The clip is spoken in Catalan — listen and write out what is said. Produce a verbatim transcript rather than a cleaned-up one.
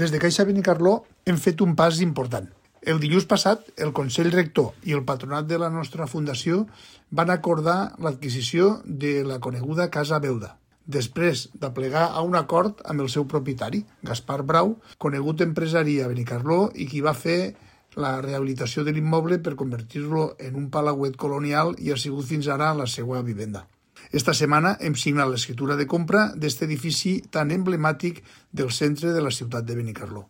Des de Caixa Benicarló hem fet un pas important. El dilluns passat, el Consell Rector i el Patronat de la nostra fundació van acordar l'adquisició de la coneguda Casa Beuda, després d'aplegar a un acord amb el seu propietari, Gaspar Brau, conegut empresari a Benicarló i qui va fer la rehabilitació de l'immoble per convertir-lo en un palauet colonial i ha sigut fins ara la seva vivenda. Esta setmana hem signat l'escriptura de compra d'aquest edifici tan emblemàtic del centre de la ciutat de Benicarló.